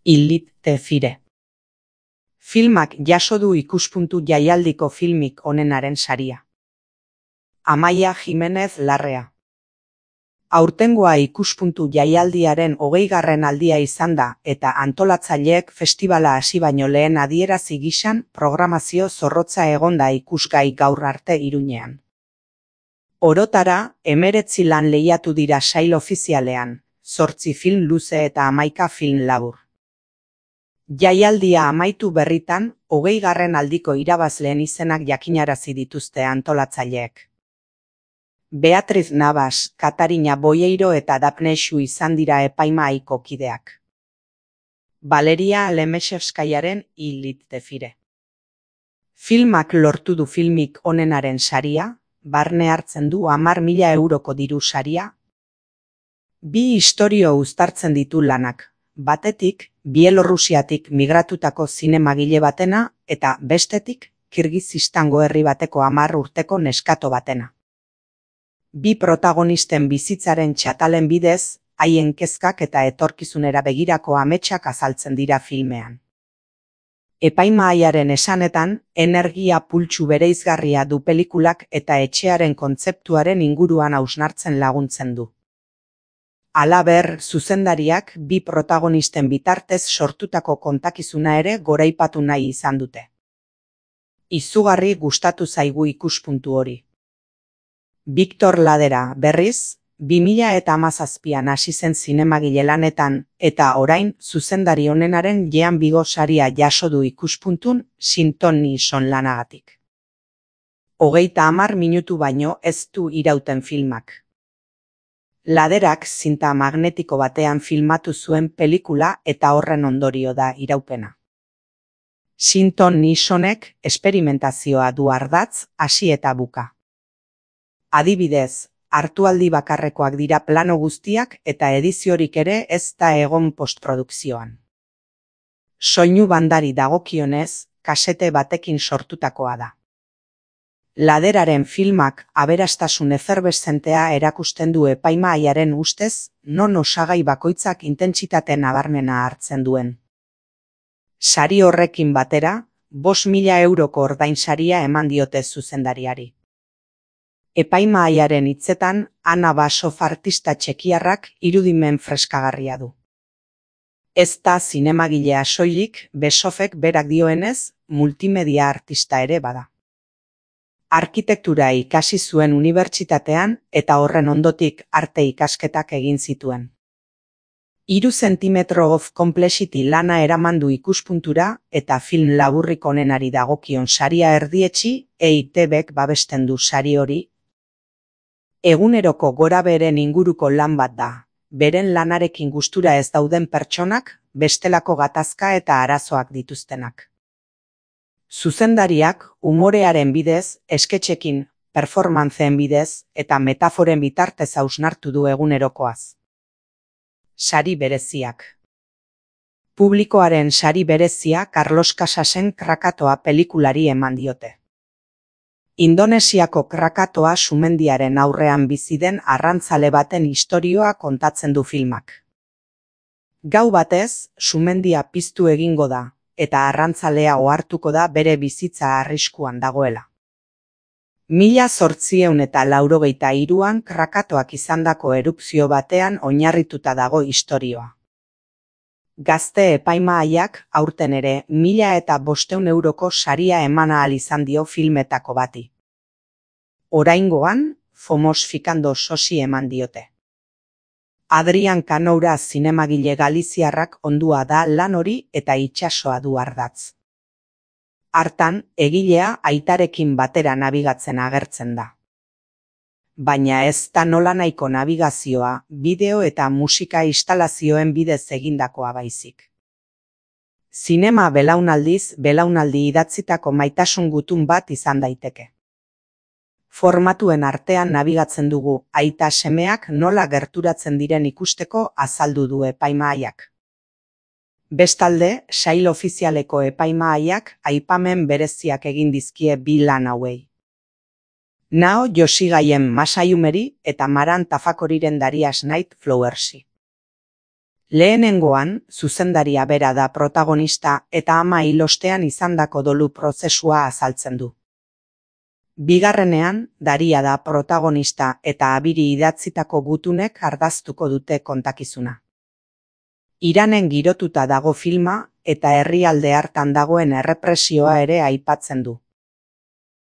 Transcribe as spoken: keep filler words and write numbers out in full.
Illit te fire. Filmak jaso du ikuspuntu jaialdiko filmik onenaren saria. Amaia Jimenez Larrea. Aurtengoa ikuspuntu jaialdiaren hogeigarren aldia izan da eta antolatzaileek festibala hasi baino lehen adierazi gisan programazio zorrotza egonda ikusgai gaur arte Iruñean. Orotara, hemeretzi lan lehiatu dira sail ofizialean, zortzi film luze eta hamaika film labur. Jaialdia amaitu berritan, hogeigarren aldiko irabazleen izenak jakinarazi dituzte antolatzaileek. Beatriz Navas, Katarina Boyeiro eta Dapne Xu izan dira epaimahaiko kideak. Valeria Lemeshevskayaren Illit te fire. Filmak lortu du filmik onenaren saria, barne hartzen du hamar mila euroko diru saria. Bi istorio uztartzen ditu lanak, batetik, Bielorrusiatik migratutako zinemagile batena eta bestetik, Kirgizistango herri bateko hamar urteko neskato batena. Bi protagonisten bizitzaren txatalen bidez, haien kezkak eta etorkizunera begirako ametsak azaltzen dira filmean. Epaimahaiaren esanetan, energia pultsu bereizgarria du pelikulak eta etxearen kontzeptuaren inguruan hausnartzen laguntzen du. Halaber, zuzendariak bi protagonisten bitartez sortutako kontakizuna ere goraipatu nahi izan dute. Izugarri gustatu zaigu ikuspuntu hori. Victor Ladera, berriz, bi mila hamazazpian hasi zen zinemagile lanetan eta orain zuzendari onenaren Jean Vigo saria jaso du ikuspuntun Sinton Nixon lanagatik. Hogeita hamar minutu baino ez du irauten filmak. Laderak zinta magnetiko batean filmatu zuen pelikula eta horren ondorio da iraupena. Sinton Nixonek esperimentazioa du ardatz, hasi eta buka. Adibidez, hartualdi bakarrekoak dira plano guztiak eta ediziorik ere ez da egon postprodukzioan. Soinu bandari dagokionez, kasete batekin sortutakoa da. Laderaren filmak aberastasun eferbeszentea erakusten du epaimahaiaren ustez, non osagai bakoitzak intentsitate nabarmena hartzen duen. Sari horrekin batera, bost mila euroko ordainsaria eman diote zuzendariari. Epaimahaiaren hitzetan, Ana Basov artista txekiarrak irudimen freskagarria du. Ez da zinemagilea soilik, Basovek berak dioenez, multimedia artista ere bada. Arkitektura ikasi zuen unibertsitatean eta horren ondotik arte ikasketak egin zituen. Hiru zentimetro of complexity lana eraman du ikuspuntura eta film laburrik onenari dagokion saria erdietsi, E I T Bek babesten du sari hori. Eguneroko gorabeheren inguruko lan bat da, beren lanarekin gustura ez dauden pertsonak, bestelako gatazka eta arazoak dituztenak. Zuzendariak umorearen bidez, esketxekin, performantzeen bidez eta metaforen bitartez hausnartu du egunerokoaz. Sari bereziak. Publikoaren sari berezia Carlos Casasen Krakatoa pelikulari eman diote. Indonesiako Krakatoa sumendiaren aurrean bizi den arrantzale baten istorioa kontatzen du filmak. Gau batez, sumendia piztu egingo da, eta arrantzalea ohartuko da bere bizitza arriskuan dagoela. Mila zortziehun eta laurogeita hiruan Krakatoak izandako erupzio batean oinarrituta dago istorioa. Gazte epaimahaiak aurten ere mila eta bostehun euroko saria eman ahal izan dio filmetako bati. Oraingoan, Fomos Fikando sosi eman diote. Adrian Kanoura zinemagile galiziarrak ondua da lan hori eta itsasoa du ardatz. Hartan, egilea aitarekin batera nabigatzen agertzen da. Baina ez da nolanahiko nabigazioa, bideo eta musika instalazioen bidez egindakoa baizik. Zinema belaunaldiz belaunaldi idatzitako maitasun gutun bat izan daiteke. Formatuen artean nabigatzen dugu, aita semeak nola gerturatzen diren ikusteko azaldu du epaimahaiak. Bestalde, sail ofizialeko epaimahaiak aipamen bereziak egin dizkie bi lan hauei. Nao Yoshigaien Masayumeri eta Maran Tafakoriren Darias Night Flowersi. Lehenengoan, zuzendaria bera da protagonista eta ama hil ostean izandako dolu prozesua azaltzen du. Bigarrenean, Daria da protagonista eta abiri idatzitako gutunek ardaztuko dute kontakizuna. Iranen girotuta dago filma eta herrialde hartan dagoen errepresioa ere aipatzen du.